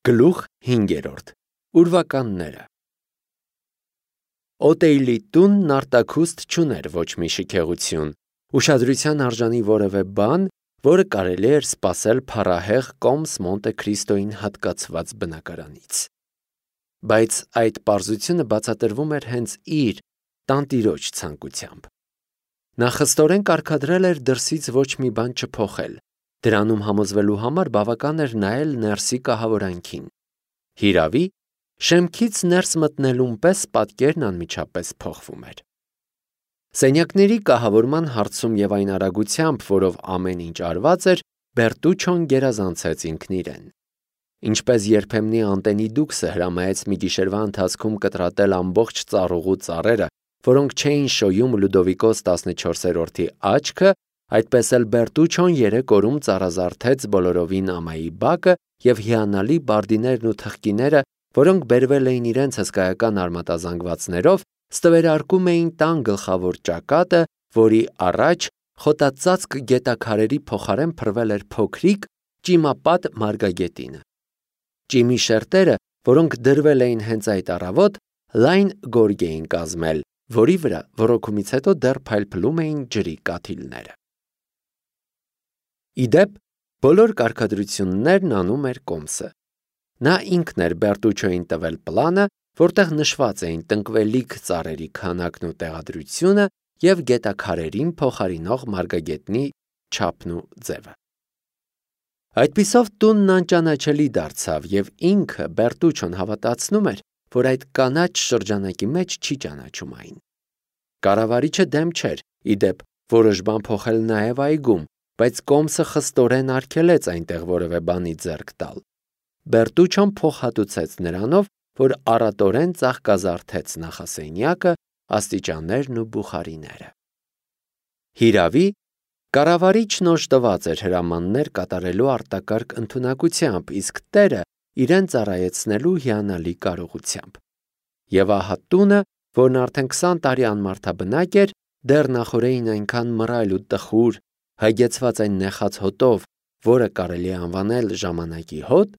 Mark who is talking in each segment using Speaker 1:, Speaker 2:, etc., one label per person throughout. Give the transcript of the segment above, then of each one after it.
Speaker 1: Գլուխ 5. Ուրվականները Օտեյլի տունն արտաքուստ չուներ ոչ մի շքեղություն, ուշադրության արժանի որևէ բան, որը կարելի էր սպասել փառահեղ Կոմս Մոնտե Քրիստոյին հատկացված բնակարանից։ Բայց այդ պարզությունը բացատրվում էր հենց իր տանտիրոջ ցանկությամբ։ Նա խստորեն կարգադրել էր դրսից ոչ մի բան չփոխել, դրանում համոզվելու համար բավական էր նայել ներսի կահավորանքին։ Հիրավի, շեմքից ներս մտնելուն պես պատկերն անմիջապես փոխվում էր։ Սենյակների կահավորման հարցում և այն արագությամբ, որով ամեն ինչ արված էր, Բերտուչոն գերազանցեց ինքն իրեն։ Ինչպես երբեմնի անտենի դուքսը հրամայեց մի գիշերվա ընթացքում կտրատել ամբողջ ծառուղու ծառերը, որոնք չէին շոյում Լյուդովիկոս 14-րդի աչքը, այդպես էլ Բերտուչոն 3 օրում ծառազարդեց բոլորովին ամայի բակը և հիանալի բարդիներն ու թխկիները, որոնք բերվել էին իրենց հսկայական արմատազանգվածներով, ստվերարկում էին տան գլխավոր ճակատը, որի առաջ խոտածածկ գետաքարերի փոխարեն փռվել էր փոքրիկ, ճիմապատ մարգագետինը։ Ճիմի շերտերը, որոնք դրվել էին հենց այդ առավոտ, լայն գորգ էին կազմել, որի վրա ոռոգումից հետո դեռ փայլփլում էին ջրի կաթիլները։ Ի դեպ, բոլոր կարգադրություններն անում էր Կոմսը։ Նա ինքն էր Բերտուչոյին տվել պլանը, որտեղ նշված էին տնկվելիք ծառերի քանակն ու տեղադրությունը և գետաքարերին փոխարինող մարգագետնի չափն ու ձևը։ Այդպիսով տունն անճանաչելի դարձավ, և ինքը Բերտուչոն հավատացնում էր, որ այդ կանաչ շրջանակի մեջ չի ճանաչում այն։ Կառավարիչը դեմ չէր, ի դեպ, որոշ բան փոխել նաև այգում, բայց Կոմսը խստորեն արգելեց այնտեղ որևէ բանի ձեռք տալ։ Բերտուչոն փոխհատուցեց նրանով, որ առատորեն ծաղկազարդեց նախասենյակը, աստիճաններն ու բուխարիները։ Հիրավի, կառավարիչն օժտված էր հրամաններ կատարելու արտակարգ ընդունակությամբ, իսկ տերը իրեն ծառայեցնելու հիանալի կարողությամբ։ Եվ ահա տունը, որն արդեն 20 տարի անմարդաբնակ էր, դեռ նախօրեին այնքան մռայլ ու տխուր, հագեցված այն նեխած հոտով, որը կարելի է անվանել ժամանակի հոտ,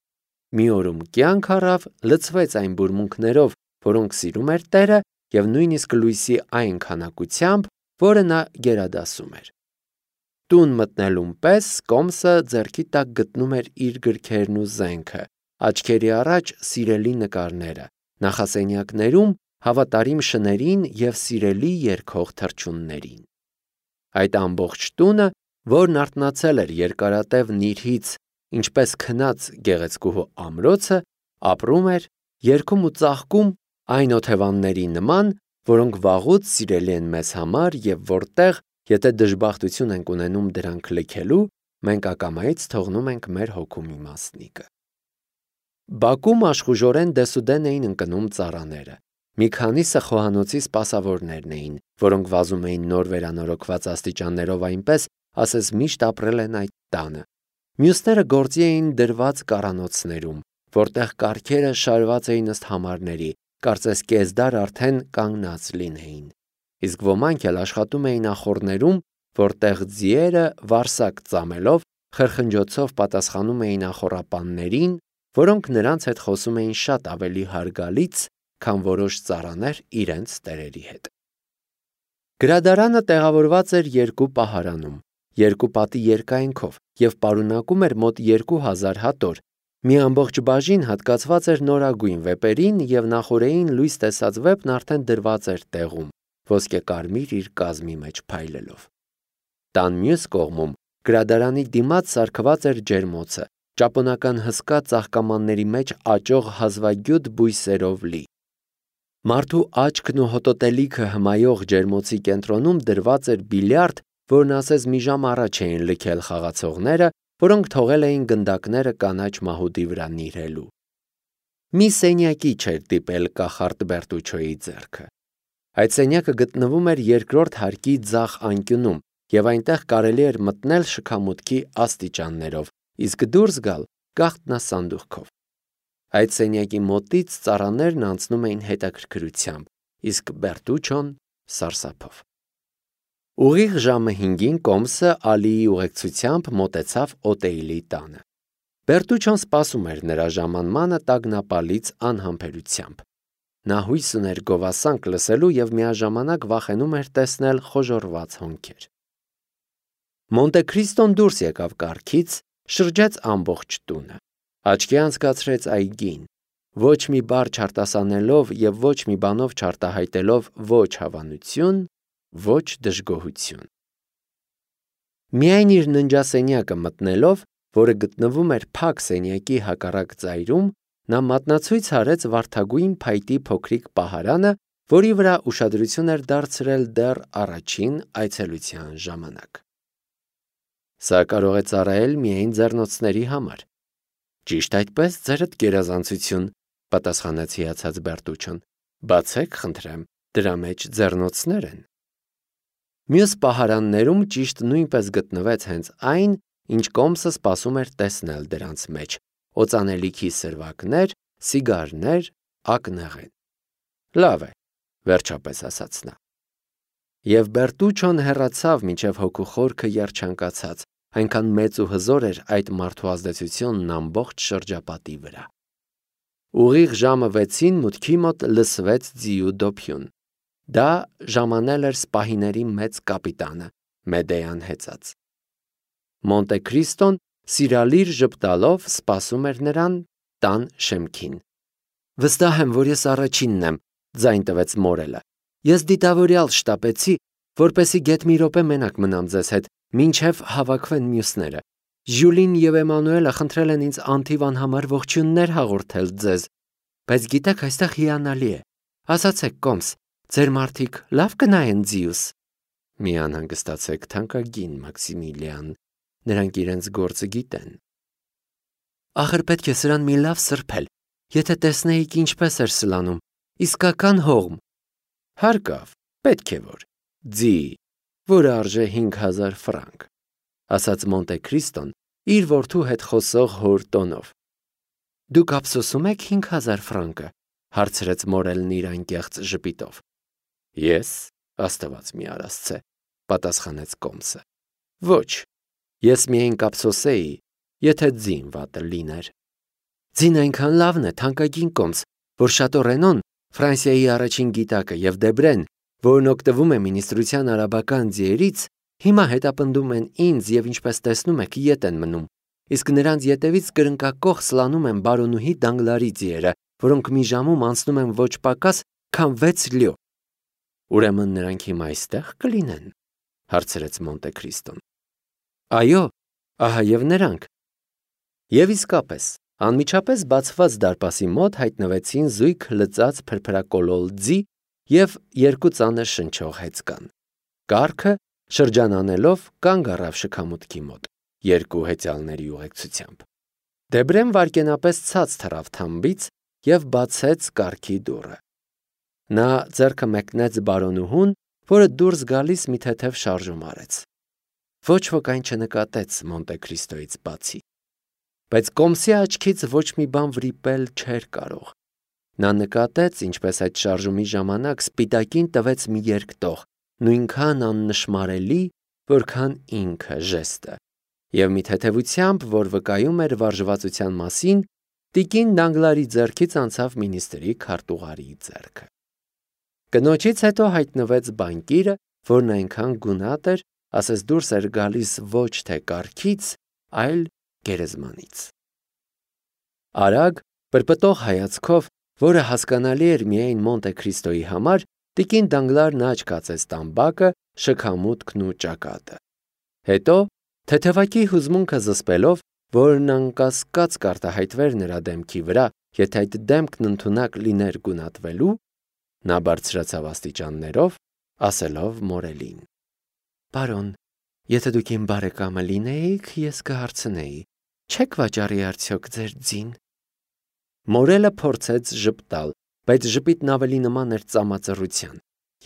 Speaker 1: մի օրում կյանք առավ, լցվեց այն բուրմունքներով, որոնք սիրում էր տերը, և նույնիսկ լույսի այն քանակությամբ, որը նա գերադասում էր։ Տուն մտնելուն պես Կոմսը ձեռքի տակ գտնում էր իր գրքերն ու զենքը, աչքերի առաջ սիրելի նկարները, նախասենյակներում հավատարիմ շներին և սիրելի երգող թռչուններին։ Այդ ամբողջ տունը, որն արթնացել էր երկարատև նիրհից, ինչպես քնած գեղեցկուհու ամրոցը, ապրում էր, երգում ու ծաղկում այն օթևանների նման, որոնք վաղուց սիրելի են մեզ համար և որտեղ, եթե դժբախտություն ենք ունենում դրանք լքելու, մենք ակամայից թողնում ենք մեր հոգու մի մասնիկը։ Բակում աշխուժորեն դեսուդեն էին ընկնում ծառաները։ Մի քանիսը խոհանոցի սպասավորներն էին, որոնք վազում էին նոր վերանորոգված աստիճաններով այնպես, ասես միշտ ապրել են այդ տանը։ Մյուսները գործի էին դրված կառանոցներում, որտեղ կառքերը շարված էին ըստ համարների, կարծես կեսդար արդեն կանգնած լինեին։ Իսկ ոմանք էլ աշխատում էին ախոռներում, որտեղ ձիերը վարսակ ծամելով, խրխնջոցով պատասխանում էին ախոռապաններին, որոնք նրանց հետ խոսում էին շատ ավելի հարգալից, քան որոշ ծառաներ իրենց տերերի հետ։ Գրադարանը տեղավորված էր 2 պահարանում, 2 պատի երկայնքով և պարունակում էր մոտ 2000 հատոր։ Մի ամբողջ բաժին հատկացված էր նորագույն վեպերին և նախօրեին լույս տեսած վեպն արդեն դրված էր տեղում, ոսկեկարմիր իր կազմի մեջ փայլելով։ Տան մյուս կողմում գրադարանի դիմաց սարքված էր ջերմոցը, ճապոնական հսկա ծաղկամանների մեջ աճող հազվագյուտ բույսերով լի։ Մարդու աչքն ու հոտոտելիքը հմայող ջերմոցի կենտրոնում դրված էր բիլիարդ, որն ասես մի ժամ առաջ էին լքել խաղացողները, որոնք թողել էին գնդակները կանաչ մահուդի վրա նիրհելու։ Մի սենյակի չէր դիպել կախարդ Բերտուչոյի ձեռքը։ Այդ սենյակը գտնվում էր 2-րդ հարկի ձախ անկյունում, և այնտեղ կարելի էր մտնել շքամուտքի աստիճաններով, իսկ դուրս գալ գաղտնասանդուղքով։ Այդ սենյակի մոտից ծառաներն անցնում էին հետաքրքրությամբ, իսկ Բերտուչոն սարսափով։ Ուղիղ ժամը 5-ին Կոմսը Ալիի ուղեկցությամբ մոտեցավ Օտեյլի տանը։ Բերտուչոն սպասում էր նրա ժամանմանը տագնապալից անհամբերությամբ։ Նա հույս ուներ գովասանք լսելու և միաժամանակ վախենում էր տեսնել խոժոռված հոնքեր։ Մոնտե Քրիստոն դուրս եկավ կառքից, շրջեց ամբողջ տունը, աչքի անցկացրեց այգին, ոչ մի բառ չարտասանելով և ոչ մի բանով չարտահայտելով ոչ հավանություն, ոչ դժգոհություն։ Միայն իր ննջասենյակը մտնելով, որը գտնվում էր փակ սենյակի հակառակ ծայրում, նա մատնացույց արեց վարդագույն փայտի փոքրիկ պահարանը, որի վրա ուշադրություն էր դարձրել դեռ առաջին այցելության ժամանակ։ Սա կարող է ծառայել միայն ձեռնոցների համար։ Ճիշտ այդպես, ձերդ գերազանցություն, պատասխանեց հիացած Բերտուչոն։ Բացեք, խնդրեմ, դրա մեջ ձեռնոցներ են։ Մյուս պահարաններում ճիշտ նույնպես գտնվեց հենց այն, ինչ Կոմսը սպասում էր տեսնել դրանց մեջ՝ օծանելիքի սրվակներ, սիգարներ, ակնեղեն։ Լավ է, վերջապես ասաց նա։ Եվ Բերտուչոն հեռացավ, մինչև հոգու խորքը երջանկացած, այնքան մեծ ու հզոր էր այդ մարդու ազդեցությունն ամբողջ շրջապատի վրա։ Ուղիղ ժամը 6-ին մուտքի մոտ լսվեց ձիու դոփյուն։ Դա ժամանել էր սպահիների մեծ կապիտանը, Մեդեան հեծած։ Մոնտե Քրիստոն սիրալիր ժպտալով սպասում էր նրան տան շեմքին։ Վստահ եմ, որ ես առաջինն եմ, ձայն տվեց Մորելը։ Ես դիտավորյալ շտապեցի, որպեսզի գեթ մի րոպե մենակ մնամ ձեզ հետ, մինչև հավաքվեն մյուսները։ Ժյուլին և Էմանուելը խնդրել են ինձ անթիվ անհամար ողջույններ հաղորդել ձեզ, բայց գիտեք, այստեղ հիանալի է։ Ասացեք, Կոմս, ձեր մարդիկ լավ կնայեն ձիուս։ Մի անհանգստացեք, թանկագին Մաքսիմիլիան, նրանք իրենց գործը գիտեն։ Ախր պետք է սրան մի լավ սրբել, եթե տեսնեիք ինչպես էր սլանում, իսկական հողմ։ Հարկավ, պետք է որ։ Ձի, որը արժե 5000 ֆրանկ, ասաց Մոնտե Քրիստոն իր որդու հետ խոսող հոր տոնով։ Դուք ափսոսում եք 5000 ֆրանկը, հարցրեց Մորելն իր անկեղծ ժպիտով։ Ես, Աստված մի արասցե, պատասխանեց Կոմսը։ Ոչ, ես միայն կափսոսեի, եթե ձին վատը լիներ։ Ձին այնքան լավն է, թանկագին Կոմս, որ Շատո Ռենոն, Ֆրանսիայի առաջին գիտակը և Դեբրեն, որն օգտվում է մինիստրության արաբական ձիերից, հիմա հետապնդում են ինձ և ինչպես տեսնում եք ետ են մնում, իսկ նրանց ետևից կրնկակոխ սլանում են բարոնուհի Դանգլարի ձիերը, որոնք մի ժամում անցնում են ոչ պակաս, քան 6 լյո։ Ուրեմն նրանք հիմա այստեղ կլինեն, հարցրեց Մոնտե Քրիստոն։ Այո, ահա և նրանք։ Եվ իսկապես, անմիջապես բացված դարպասի մոտ հայտնվեցին զույգ լծած փրփրակոլոլ ձի և երկու ծանր շնչող հեծկան։ Կառքը, շրջանանելով, կանգ առավ շքամուտքի մոտ, երկու հեծյալների ուղեկցությամբ։ Դեբրեն վայրկենապես ցած թռավ թամբից և բացեց կառքի դուռը։ Նա ձեռքը մեկնեց բարոնուհուն, որը դուրս գալիս մի թեթև շարժում արեց։ Ոչ ոք այն չնկատեց Մոնտե Քրիստոյից բացի։ Բայց Կոմսի աչքից ոչ մի բան վրիպել չէր կարող։ Նա նկատեց, ինչպես այդ շարժումի ժամանակ սպիտակին տվեց մի երկտող, նույնքան աննշմարելի, որքան ինքը ժեստը, և մի թեթևությամբ, որ վկայում էր վարժվածության մասին, տիկին Դանգլարի ձեռքից անցավ մինիստրի քարտուղարի ձեռքը։ Կնոջից հետո հայտնվեց բանկիրը, որն այնքան գունատ էր, ասես դուրս էր գալիս ոչ թե կառքից, այլ գերեզմանից։ Արագ, պրպտող հայացքով, որը հասկանալի էր միայն Մոնտե Քրիստոյի համար, տիկին Դանգլարն աչք կացեց տամբակը, շքամուտքն ու ճակատը։ Հետո, թեթևակի հուզմունքը զսպելով, որն անկասկած կարտահայտվեր նրա դեմքի վրա, եթե այդ դեմքն ընդունակ լիներ գունատվելու, նա բարձրացավ աստիճաններով, ասելով Մորելին. Պարոն, եթե դուք իմ բարեկամը լինեիք, ես կհարցնեի, չեք վաճառի արդյոք ձեր ձին։ Մորելը փորձեց ժպտալ, բայց ժպիտն ավելի նման էր ծամածռության,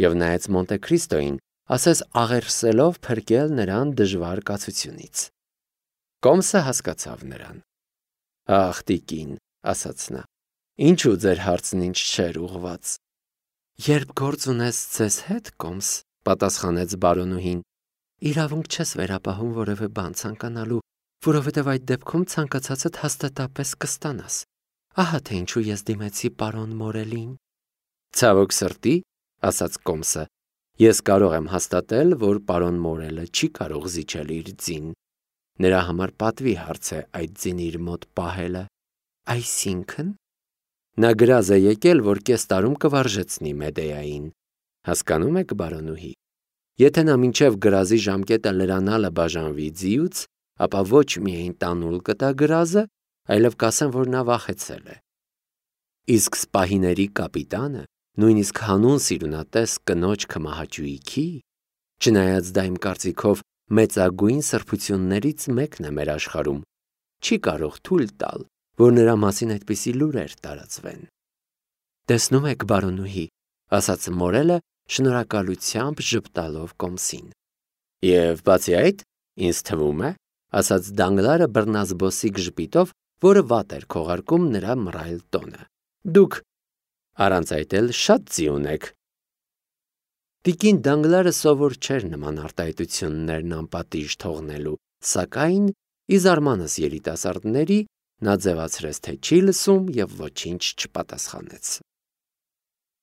Speaker 1: և նայեց Մոնտե Քրիստոյին, ասես աղերսելով փրկել նրան դժվար կացությունից։ Կոմսը հասկացավ նրան։ Ախ, տիկին, ասաց նա, ինչու ձեր հարցն ինձ չէր ուղված։ Երբ գործ ունես ձեզ հետ, Կոմս, պատասխանեց բարոնուհին, իրավունք չես վերապահում որևէ բան ցանկանալու, որովհետև այդ դեպքում ցանկացածդ հաստատապես կստանաս։ Ահա թե ինչու ես դիմեցի պարոն Մորելին։ Ցավոք սրտի, ասաց Կոմսը, ես կարող եմ հաստատել, որ պարոն Մորելը չի կարող զիջել իր ձին։ Նրա համար պատվի հարց է այդ ձին իր մոտ պահելը։ Այսինքն, նա գրազ է եկել, որ կես տարում կվարժեցնի Մեդեային։ Հասկանում եք, բարոնուհի։ Եթե նա մինչև գրազի ժամկետը լրանալը բաժանվի ձիուց, ապա ոչ միայն տանուլ կտա գրազը, այլև կասեն, որ նա վախեցել է։ Իսկ սպահիների կապիտանը, նույնիսկ հանուն սիրունատես կնոջ քմահաճույքի, չնայած դա իմ կարծիքով մեծագույն սրբություններից մեկն է մեր աշխարհում, չի կարող թույլ տալ, որ նրա մասին այդպիսի լուրեր տարածվեն։ Տեսնում եք, բարոնուհի, ասաց Մորելը, շնորհակալությամբ ժպտալով Կոմսին։ Եվ բացի այդ, ինձ թվում է, ասաց Դանգլարը բռնազբոսիկ ժպիտով, որը վատ էր քողարկում նրա մռայլ տոնը։ Դուք առանց այդ էլ շատ ձի ունեք։ Տիկին Դանգլարը սովոր չէր նման արտահայտություններն անպատիժ թողնելու, սակայն ի զարմանս երիտասարդների նա ձևացրեց, թե չի լսում և ոչինչ չպատասխանեց։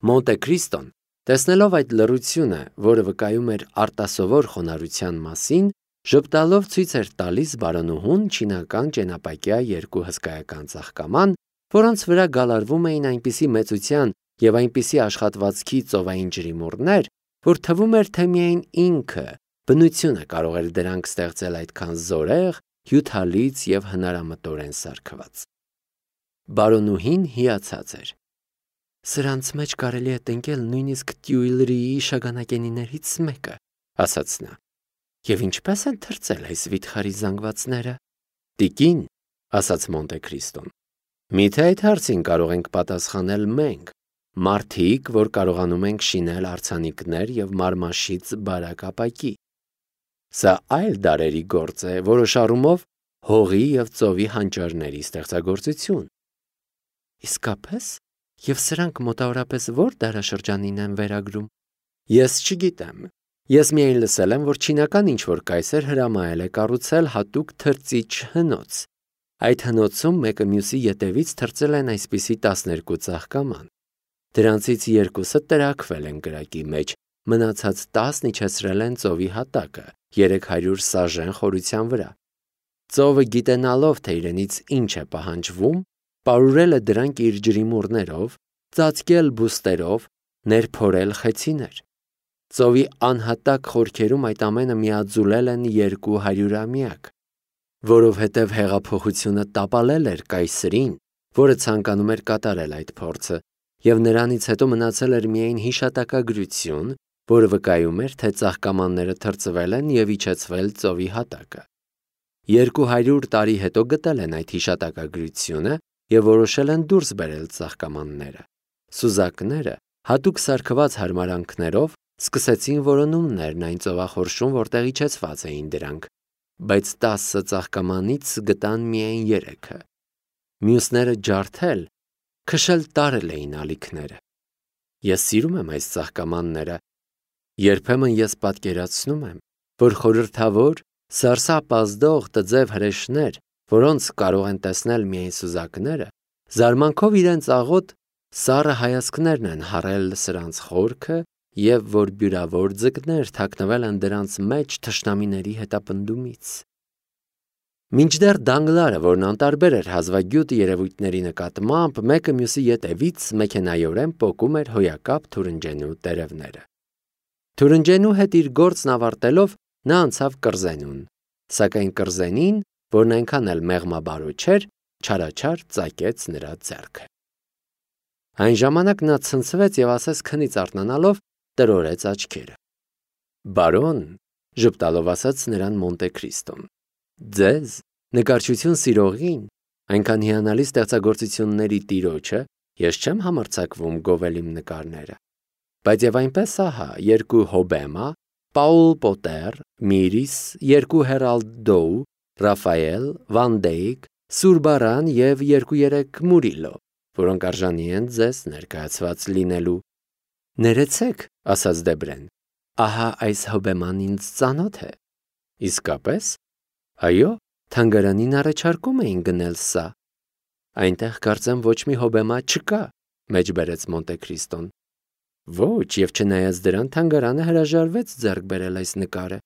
Speaker 1: Մոնտե Քրիստոն, տեսնելով այդ լռությունը, որը վկայում էր արտասովոր խոնարհության մասին, ժպտալով ցույց էր տալիս բարոնուհուն չինական ճենապակյա երկու հսկայական ծաղկաման, որոնց վրա գալարվում էին այնպիսի մեծության և այնպիսի աշխատվածքի ծովային ջրիմուռներ, որ թվում էր, թե միայն ինքը, բնությունը կարող էր դրանք ստեղծել այդքան զորեղ, հյութալից և հնարամտորեն սարքված։ Բարոնուհին հիացած էր։ Սրանց մեջ կարելի է տնկել նույնիսկ Տյուիլրիի շագանակենիներից մեկը, ասաց նա։ Եվ ինչպես են թրծել այս վիթխարի զանգվածները։ Տիկին, ասաց Մոնտե Քրիստոն, միթե այդ հարցին կարող ենք պատասխանել մենք, մարդիկ, որ կարողանում ենք շինել արձանիկներ և մարմաշից բարակ ապակի։ Սա այլ դարերի գործ է, որոշ առումով հողի և ծովի հանճարների ստեղծագործություն։ Իսկապես, և սրանք մոտավորապես ո՞ր դարաշրջանին են վերագրում։ Ես չգիտեմ։ Ես միայն լսել եմ, որ չինական ինչ-որ կայսեր հրամայել է կառուցել հատուկ թրծիչ հնոց։ Այդ հնոցում մեկը մյուսի ետևից թրծել են այսպիսի 12 ծաղկաման։ Դրանցից 2-ը տրաքվել են կրակի մեջ, մնացած 10 իջեցրել են ծովի հատակը 300 սաժեն խորության վրա։ Ծովը գիտենալով, թե իրենից ինչ է պահանջվում, պարուրել է դրանք իր ջրիմուռներով, ծածկել բուստերով, ներփորել խեցիներ։ Ծովի անհատակ խորքերում այդ ամենը միաձուլել են 200-ամյակ, որովհետև հեղափոխությունը տապալել էր կայսրին, որը ցանկանում էր կատարել այդ փորձը, և նրանից հետո մնացել էր միայն հիշատակագրություն, որը վկայում էր, թե ծաղկամանները թրծվել են և իջեցվել ծովի հատակը։ 200 տարի հետո գտել են այդ հիշատակագրությունը և որոշել են դուրս բերել ծաղկամանները։ Սուզակները հատուկ սարքված հարմարանքներով սկսեցին որոնումներն այն ծովախորշում, որտեղ իջեցված էին դրանք, բայց 10 ծաղկամանից գտան միայն 3-ը։ Մյուսները ջարդել, քշել տարել էին ալիքները։ Ես սիրում եմ այս ծաղկամանները։ Երբեմն ես պատկերացնում եմ, որ խորհրդավոր, սարսափազդող տձև հրեշներ, որոնց կարող են տեսնել միայն սուզակները, զարմանքով իրենց աղոտ սառը հայացքներն են հառել սրանց խորքը և որ բյուրավոր ձկներ թաքնվել են դրանց մեջ թշնամիների հետապնդումից։ Մինչդեռ Դանգլարը, որն անտարբեր էր հազվագյուտ երևույթների նկատմամբ, մեկը մյուսի ետևից մեքենայորեն պոկում էր հոյակապ թուրնջենու տերևները։ Թուրնջենու հետ իր գործն ավարտելով նա անցավ կռզենուն, սակայն կռզենին, որն այնքան էլ մեղմաբարո չէր, չարաչար ծակեց նրա ձեռքը։ Այն ժամանակ նա ցնցվեց և ասես քնից արթնանալով տրորեց աչքերը։ Բարոն, ժպտալով ասաց նրան Մոնտե Քրիստոն, ձեզ, նկարչություն սիրողին, այնքան հիանալի ստեղծագործությունների տիրոջը, ես չեմ համարձակվում գովել իմ նկարները, բայց և այնպես ահա 2 Հոբեմա, Պաուլ Պոտեր, Միրիս, 2 Հերալդ Դոու, Ռաֆայել, Վան Դեյք, Սուրբարան և 2-3 Մուրիլո, որոնք արժանի են ձեզ ներկայացված լինելու։ Ներեցեք, ասաց Դեբրեն, ահա այս Հոբեման ինձ ծանոթ է։ Իսկապես։ Այո, Թանգարանին առաջարկում էին գնել սա։ Այնտեղ կարծեմ ոչ մի հոբեմա չկա, մեջբերեց Մոնտե-Քրիստոն։ Ոչ, եւ չնայած դրան թանգարանը հրաժարվեց ձեռք բերել այս նկարը։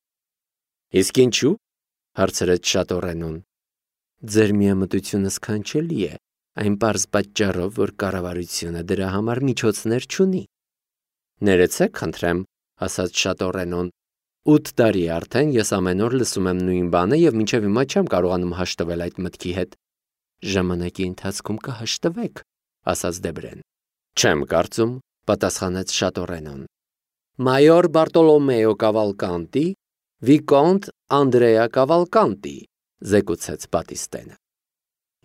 Speaker 1: Իսկ ինչու՞, հարցրեց Շատորենոն։ Ձեր միամտությունը սքանչելի է, այն պարզ պատճառով, որ կառավարությունը դրա համար միջոցներ չունի։ Ներեցեք, խնդրեմ, ասաց Շատորենոն։ 8 տարի արդեն ես ամեն օր լսում եմ նույն բանը եւ մինչեւ հիմա չեմ կարողանում հաշտվել այդ մտքի հետ։ Ժամանակի ընթացքում կհաշտվեք, ասաց Դեբրեն։ Չեմ կարծում, պատասխանեց Շատորենոն։ Մայոր Բարտոլոմեո Կավալկանտի, Վիկոնտ Անդրեա Կավալկանտի, զեկուցեց Բատիստենը։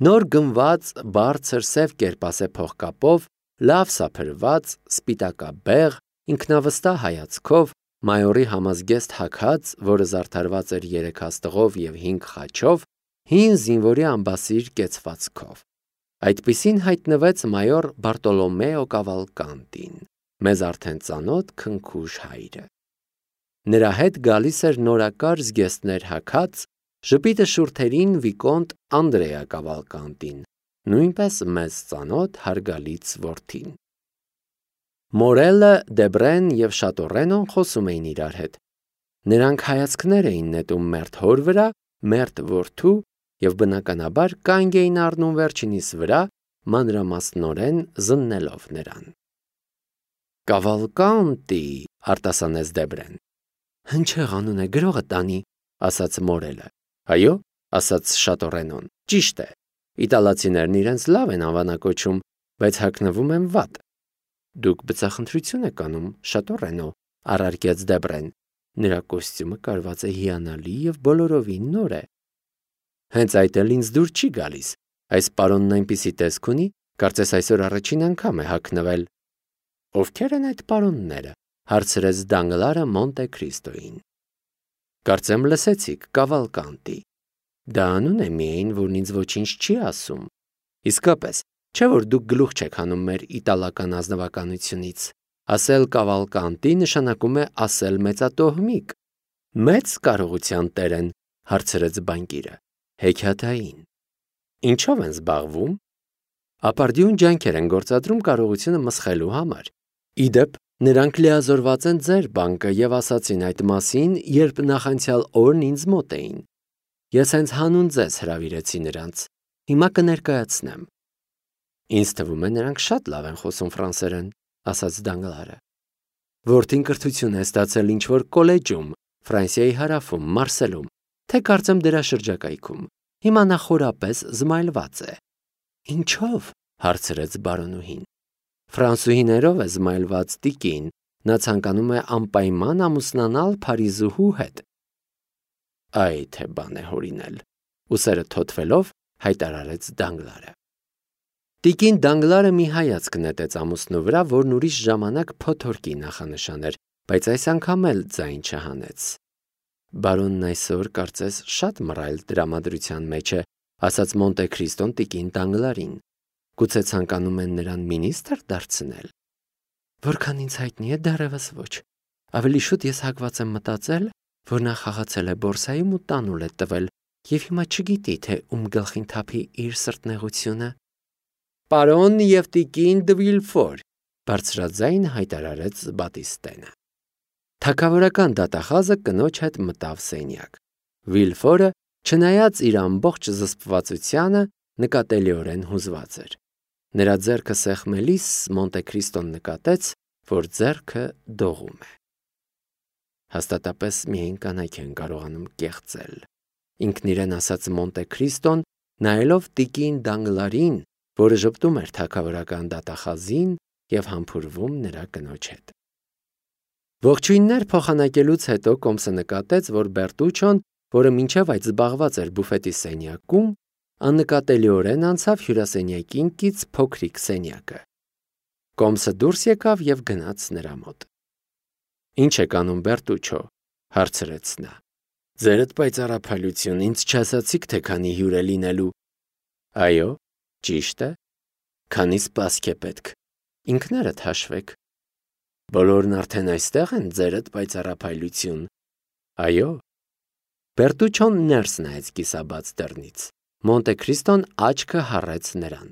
Speaker 1: Նոր գնված բարձր սև կերպասե փողկապով, լավ սափրված, սպիտակաբեղ, ինքնավստահ հայացքով, մայորի համազգեստ հագած, որը զարդարված էր 3 հաստղով եւ 5 խաչով, հին զինվորի ամբասիր կեցվածքով։ Այդպիսին հայտնվեց մայոր Բարտոլոմեո Կավալկանտին, մեզ արդեն ծանոթ քնքուշ հայրը։ Նրա հետ գալիս էր նորակար զգեստներ հագած, ժպիտը շուրթերին Վիկոնտ Անդրեա Կավալկանտին, նույնպես մեզ ծանոթ հարգալից որդին։ Մորելը, Դեբրեն եւ Շատորենոն խոսում էին իրար հետ։ Նրանք հայացքներ էին նետում մերթ հոր վրա, մերթ որդու եւ բնականաբար կանգ էին առնում վերջինիս վրա, մանրամասնորեն զննելով նրան։ Կավալկանտի, արտասանեց Դեբրեն։ Հնչեղ անուն է գրողը տանի, ասաց Մորելը։ Այո, ասաց Շատորենոն, ճիշտ է։ Իտալացիներն իրենց լավ են անվանակոչում, բայց հագնվում են վատ։ Դուք բծախնդրություն եք անում, Շատորենո, առարկեց Դեբրեն։ Նրա կոստյումը կարված է հիանալի եւ բոլորովին նոր է։ Հենց այդ էլ ինձ դուր չի գալիս։ Այս պարոնն այնպիսի տեսք ունի, կարծես այսօր առաջին անգամ է հագնվել։ Ովքեր են այդ պարոնները, հարցրեց Դանգլարը Մոնտե-Քրիստոյին։ Կարծեմ լսեցիք, Կավալկանտի։ Դա անուն է միայն, որն ինձ ոչինչ չի ասում։ Իսկապես, չէ՞ որ դուք գլուխ չեք հանում մեր իտալական ազնվականությունից։ Ասել Կավալկանտի նշանակում է ասել մեծատոհմիկ։ Մեծ կարողության տեր են, հարցրեց բանկիրը։ Հեքիաթային։ Ինչով են զբաղվում։ Ապարդյուն ջանքեր են գործադրում կարողությունը մսխելու համար։ Իդեպ, նրանք լիազորված են ձեր բանկը եւ ասացին այդ մասին, երբ նախանցյալ օրն ինձ մոտ էին։ Ես հենց հանուն ձեզ հրավիրեցի նրանց։ Հիմա կներկայացնեմ։ Ինձ թվում է նրանք շատ լավ են խոսում ֆրանսերեն, ասաց Դանգլարը։ Որդին կրթություն է ստացել ինչ-որ կոլեջում, Ֆրանսիայի հարավում, Մարսելում, թե կարծեմ դրա շրջակայքում։ Հիմա նա խորապես զմայլված է։ Ինչով, հարցրեց բարոնուհին։ Ֆրանսուհիներով է զմայլված տիկին, նա ցանկանում է անպայման ամուսնանալ Փարիզուհու հետ։ Այ թե բան է հորինել, ուսերը թոթվելով հայտարարեց Դանգլարը։ Տիկին Դանգլարը մի հայացք նետեց ամուսնու վրա, որն ուրիշ ժամանակ փոթորկի նախանշան էր, բայց այս անգամ էլ ձայն չհանեց։ Բարոնն այսօր կարծես շատ մռայլ տրամադրության մեջ է, ասաց Մոնտե-Քրիստոն տիկին Դանգլարին։ Գուցե ցանկանում են նրան մինիստր դարձնել։ Որքան ինձ հայտնի է, դեռևս ոչ։ Ավելի շուտ ես հակված եմ մտածել, որ նա խաղացել է բորսայում ու տանուլ է տվել, եւ հիմա չգիտի, թե ում գլխին թափի իր սրտնեղությունը։ Պարոն եւ տիկին դը Վիլֆոր, բարձրաձայն հայտարարեց Բատիստենը։ Թագավորական դատախազը կնոջ հետ մտավ սենյակ։ Վիլֆորը, չնայած իր ամբողջ զսպվածությանը, նկատելիորեն հուզված էր։ Նրա ձեռքը սեղմելիս Մոնտե-Քրիստոն նկատեց, որ ձեռքը դողում է։ Հաստատապես միայն կանայք են կարողանում կեղծել, ինքն իրեն ասաց Մոնտե-Քրիստոն, նայելով տիկին Դանգլարին, որը ժպտում էր թագավորական դատախազին եւ համբուրվում նրա կնոջ հետ։ Ողջույններ փոխանակելուց հետո Կոմսը նկատեց, որ Բերտուչոն, որը մինչև այդ զբաղված էր բուֆետի սենյակում, աննկատելիորեն անցավ հյուրասենյակին կից փոքրիկ սենյակը։ Կոմսը դուրս եկավ եւ գնաց նրա մոտ։ Ինչ եք անում, Բերտուչո, հարցրեց նա։ Ձերդ պայծառափայլություն, ինձ չասացիք, թե քանի հյուր է լինելու։ Այո, ճիշտ է։ Քանի սպասք է պետք։ Ինքներդ հաշվեք։ Բոլորն արդեն այստեղ են, ձերդ պայծառափայլություն։ Այո։ Բերտուչոն ներս նայեց կիսաբաց դռնից։ Մոնտե Քրիստոն աչքը հառեց նրան։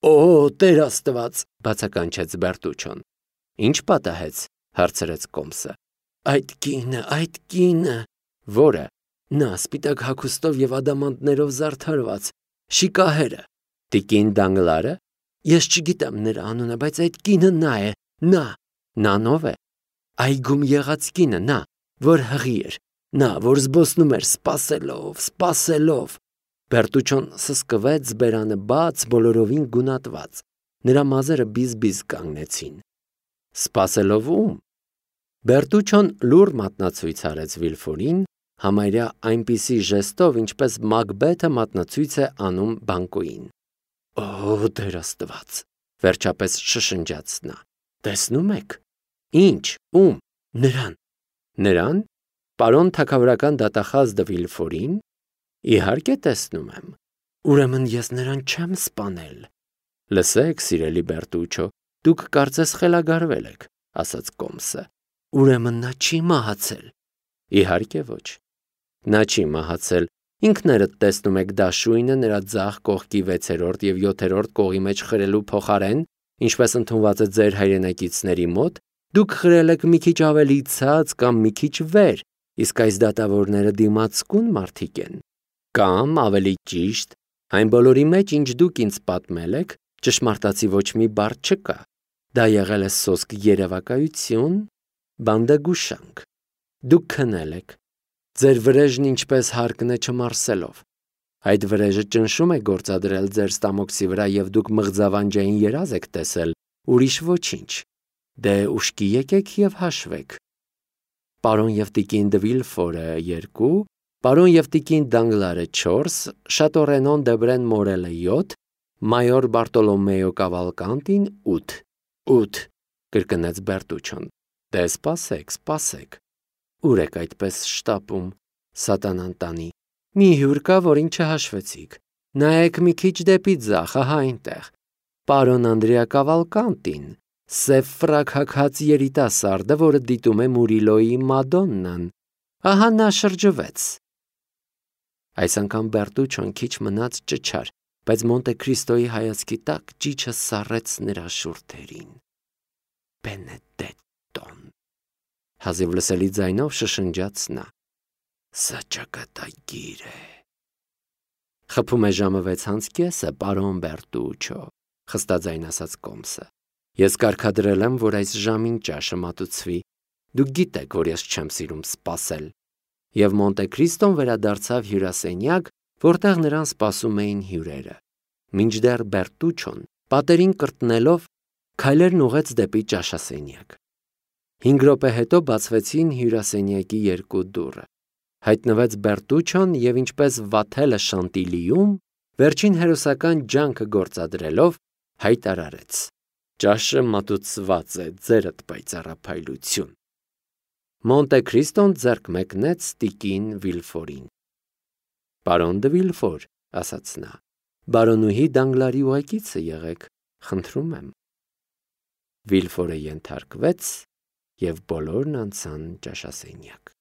Speaker 1: «Օ, Տեր Աստված», բացականչեց Բերտուչոն։ «Ինչ պատահեց», հարցրեց Կոմսը։ «Այդ կինը»։ «Որը»։ «Նա սպիտակ հագուստով եւ ադամանդներով զարդարված, շիկահերը»։ «Տիկին Դանգլարը»։ «Ես չգիտեմ նրա անունը, բայց այդ կինը նա է, նա»։ «Նան ով է»։ «Այգում եղած կինը, նա, որ հղի էր, նա, որ զբոսնում էր սպասելով»։ Բերտուչոն սսկվեց, բերանը բաց, բոլորովին գունատված։ Նրա մազերը բիզ-բիզ կանգնեցին։ «Սպասելով ում»։ Բերտուչոն լուռ մատնացույց արեց Վիլֆորին, համարյա այնպիսի ժեստով, ինչպես Մակբեթը մատնացույց է անում բանկոյին։ «Օ, Տեր Աստված», վերջապես շշնջաց նա։ «Տեսնում եք»։ «Ինչ, ում»։ «Նրան»։ «Նրան»։ Պարոն թագավորական դատախազ դը Վիլֆորին։ «Իհարկե տեսնում եմ»։ «Ուրեմն ես նրան չեմ սպանել»։ «Լսեք, սիրելի Բերտուչո, դուք կարծես խելագարվել եք», ասաց Կոմսը։ «Ուրեմն նա չի մահացել»։ «Իհարկե ոչ»։ «Նա չի մահացել, ինքներդ տեսնում եք դաշույնը նրա ձախ կողքի 6-րդ և 7-րդ կողի մեջ խրելու փոխարեն, ինչպես ընդունված է ձեր հայրենակիցների մոտ, դուք խրել եք մի քիչ ավելի ցած կամ մի քիչ վեր, իսկ այս դատավորները դիմացկուն մարդիկ են։ Կամ, ավելի ճիշտ, այն բոլորի մեջ, ինչ դուք ինձ պատմել եք, ճշմարտացի ոչ մի բառ չկա։ Դա եղել է սոսկ երևակայություն, բանդագուշանք։ Դուք քնել եք։ Ձեր վրեժն ինչպես հարկն է չմարսելով։ Այդ վրեժը ճնշում է գործադրել ձեր ստամոքսի վրա և դուք մղձավանջային երազ եք տեսել, ուրիշ ոչինչ։ Դե ուշքի եկեք և հաշվեք։ Պարոն և տիկին դը Վիլֆորը 2, պարոն և տիկին Դանգլարը 4, Շատորենոն Դեբրեն Մորելը 7, մայոր Բարտոլոմեո Կավալկանտին 8։ 8, կրկնեց Բերտուչոն։ Դե սպասեք։ Ուր եք այդպես շտապում, սատանան տանի։ Մի հյուր կա, որին չհաշվեցիք։ Նայեք մի քիչ դեպի ձախ, ահա այնտեղ։ Պարոն Անդրեա Կավալկանտին, սև ֆրակ հագած երիտասարդը, որը դիտում է Մուրիլոյի Մադոննան։ Ահա նա շրջվեց։ Այս անգամ Բերտուչոն քիչ մնաց ճչար, բայց Մոնտե Քրիստոյի հայացքի տակ ճիչը սառեց նրա շուրթերին։ Բենեդետտոն։ Հազիվ լսելի ձայնով շշնջաց նա։ Սա ճակատագիր է։ Խփում է ժամը 6:30, պարոն Բերտուչո, խստաձայն ասաց Կոմսը։ Ես կարգադրել եմ, որ այս ժամին ճաշը մատուցվի։ Դուք գիտեք, որ ես չեմ սիրում սպասել։ Եվ Մոնտե Քրիստոն վերադարձավ հյուրասենյակ, որտեղ նրան սպասում էին հյուրերը։ Մինչդեռ Բերտուչոն, պատերին կրտնելով, քայլերն ուղղեց դեպի ճաշասենյակ։ 5 րոպե հետո բացվեցին հյուրասենյակի 2 դուռը։ Հայտնվեց Բերտուչոն և ինչպես Վաթելը Շանտիլիում, վերջին հերոսական ջանքը գործադրելով, հայտարարեց. «Ճաշը մատուցված է, ձերդ պայծառափայլություն»։ Մոնտե Քրիստոն ձեռք մեկնեց տիկին Վիլֆորին։ «Պարոն դը Վիլֆոր», ասաց նա, «բարոնուհի Դանգլարի ուղեկիցը եղեք, խնդրում եմ»։ Վիլֆորը ենթարկվեց, և բոլորն անցան ճաշասենյակ։